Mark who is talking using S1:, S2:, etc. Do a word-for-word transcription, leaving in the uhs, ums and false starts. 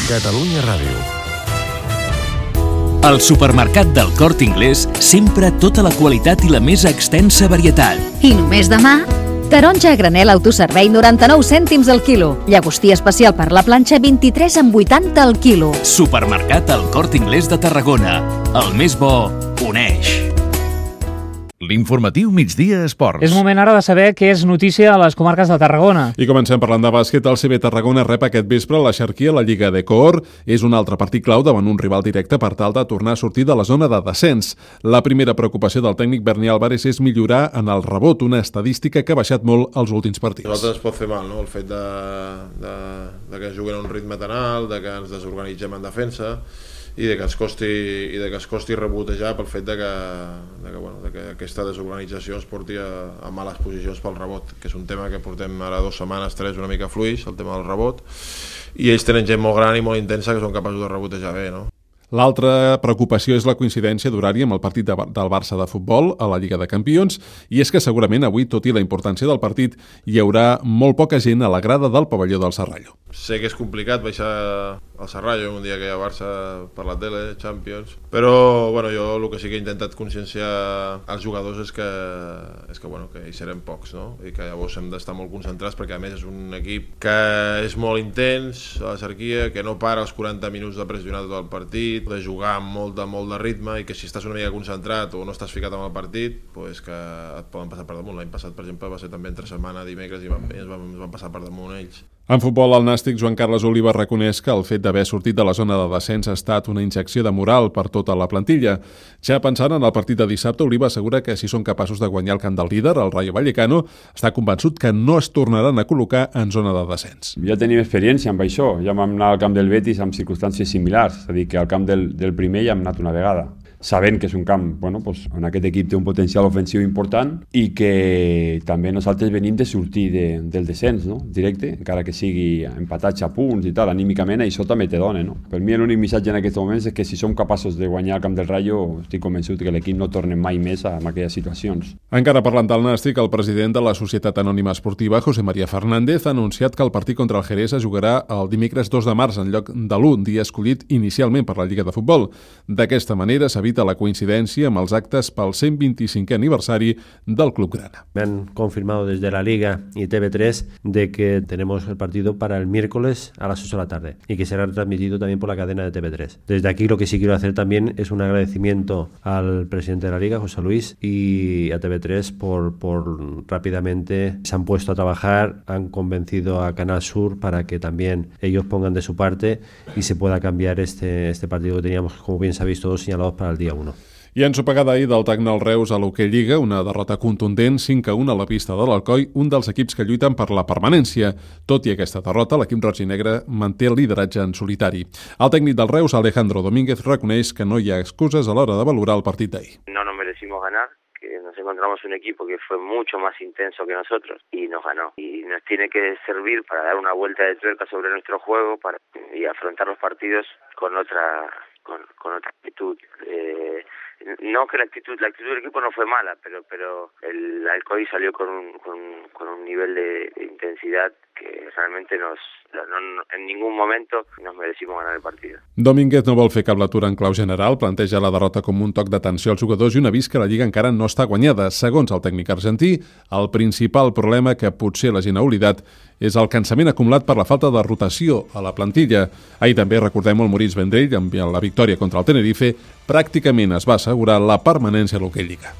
S1: Catalunya Ràdio.
S2: Al supermercat del Corte Inglés, sempre tota la qualitat i la més extensa varietat.
S3: I només demà, taronja a granel autoservei noranta-nou cèntims al quilo. Llagostí especial per la planxa vint-i-tres amb vuitanta al quilo.
S2: Supermercat El Corte Inglés de Tarragona. El més bo uneix.
S1: L'informatiu Migdia Esports.
S4: És moment ara de saber què és notícia a les comarques de Tarragona.
S5: I comencem parlant de bàsquet. El C B Tarragona rep aquest vespre la Xerquia a la Lliga de Coor. És un altre partit clau davant un rival directe per tal de tornar a sortir de la zona de descens. La primera preocupació del tècnic Berni Álvarez és millorar en el rebot, una estadística que ha baixat molt als últims partits.
S6: A nosaltres ens pot fer mal, no? El fet de, de, de que juguen a un ritme tan alt, de que ens desorganitzem en defensa i de que ens costi, i de que es costi rebotejar pel fet de que, de que, bueno, de que aquesta desorganització ens porti a, a males posicions pel rebot, que és un tema que portem ara dues setmanes, tres, una mica fluix, el tema del rebot, i ells tenen gent molt gran i molt intensa que són capaços de rebotejar bé, no?
S5: L'altra preocupació és la coincidència d'horari amb el partit de, del Barça de futbol a la Lliga de Campions, i és que segurament avui, tot i la importància del partit, hi haurà molt poca gent a la grada del pavelló del Serrallo.
S6: Sé que és complicat baixar al Serrallo un dia que hi ha Barça per la tele, Champions, però bueno, jo el que sí que he intentat conscienciar als jugadors és que, és que, bueno, que hi serem pocs, no? I que llavors hem d'estar molt concentrats perquè a més és un equip que és molt intens a la Xerquia, que no para els quaranta minuts de pressionar tot el partit, de jugar amb molt de, molt de ritme, i que si estàs una mica concentrat o no estàs ficat en el partit, pues que et poden passar per damunt. L'any passat, per exemple, va ser també entre setmana, dimecres, i van, ens, van, ens van passar per damunt ells.
S5: En futbol, el nàstic Joan Carles Oliva reconeix que el fet d'haver sortit de la zona de descens ha estat una injecció de moral per tota la plantilla. Ja pensant en el partit de dissabte, Oliva assegura que si són capaços de guanyar el camp del líder, el Rayo Vallecano, està convençut que no es tornaran a col·locar en zona de descens.
S7: Ja tenim experiència amb això, ja vam anar al camp del Betis amb circumstàncies similars, és a dir, que al camp del, del primer ja hem anat una vegada, sabent que és un camp bueno, doncs, on aquest equip té un potencial ofensiu important i que també nosaltres venim de sortir de, del descens, no? Directe, encara que sigui empatats a punts i tal, anímicament això també te dona. No? Per mi l'únic missatge en aquests moments és que si som capaços de guanyar el camp del Rayo, estic convençut que l'equip no torna mai més a aquelles situacions.
S5: Encara parlant del nàstic, el president de la Societat Anònima Esportiva, José María Fernández, ha anunciat que el partit contra el Jerez es jugarà el dimecres dos de març en lloc de l'u, dia escollit inicialment per la Lliga de Futbol. D'aquesta manera s'ha la coincidència amb els actes pel cent vint-i-cinquè aniversari del Club Grana.
S8: Me han confirmado desde la Liga y T V tres de que tenemos el partido para el miércoles a las ocho de la tarde y que será transmitido también por la cadena de T V tres. Desde aquí lo que sí quiero hacer también es un agradecimiento al presidente de la Liga, José Luis, y a T V tres por, por rápidamente se han puesto a trabajar, han convencido a Canal Sur para que también ellos pongan de su parte y se pueda cambiar este, este partido que teníamos, como bien sabéis todos, señalados para el día uno.
S5: I ensopegada ahir del Tecnol Reus a l'Hoquei Lliga, una derrota contundent, cinc a u a la pista de l'Alcoi, un dels equips que lluiten per la permanència. Tot i aquesta derrota, l'equip roig i negre manté el lideratge en solitari. El tècnic del Reus, Alejandro Domínguez, reconeix que no hi ha excuses a l'hora de valorar el partit d'ahir.
S9: No nos merecimos ganar, que nos encontramos un equipo que fue mucho más intenso que nosotros y nos ganó. Y nos tiene que servir para dar una vuelta de tuerca sobre nuestro juego para, y afrontar los partidos con otra, con, con otra actitud. Eh, No que la actitud, la actitud del equipo no fue mala, pero pero el Alcoy salió con un, con, con un nivel de, de intensidad que realmente nos, no, no, en ningún momento nos merecimos ganar el partido.
S5: Domínguez no vol fer cap lectura en clau general, planteja la derrota com un toc d'atenció als jugadors i un avís que la Lliga encara no està guanyada. Segons el tècnic argentí, el principal problema que potser la gent ha oblidat és el cansament acumulat per la falta de rotació a la plantilla. Ahir també, recordem, el Moritz Vendrell, amb la victòria contra el Tenerife, pràcticament es va assegurar la permanència a l'Hoquei Lliga.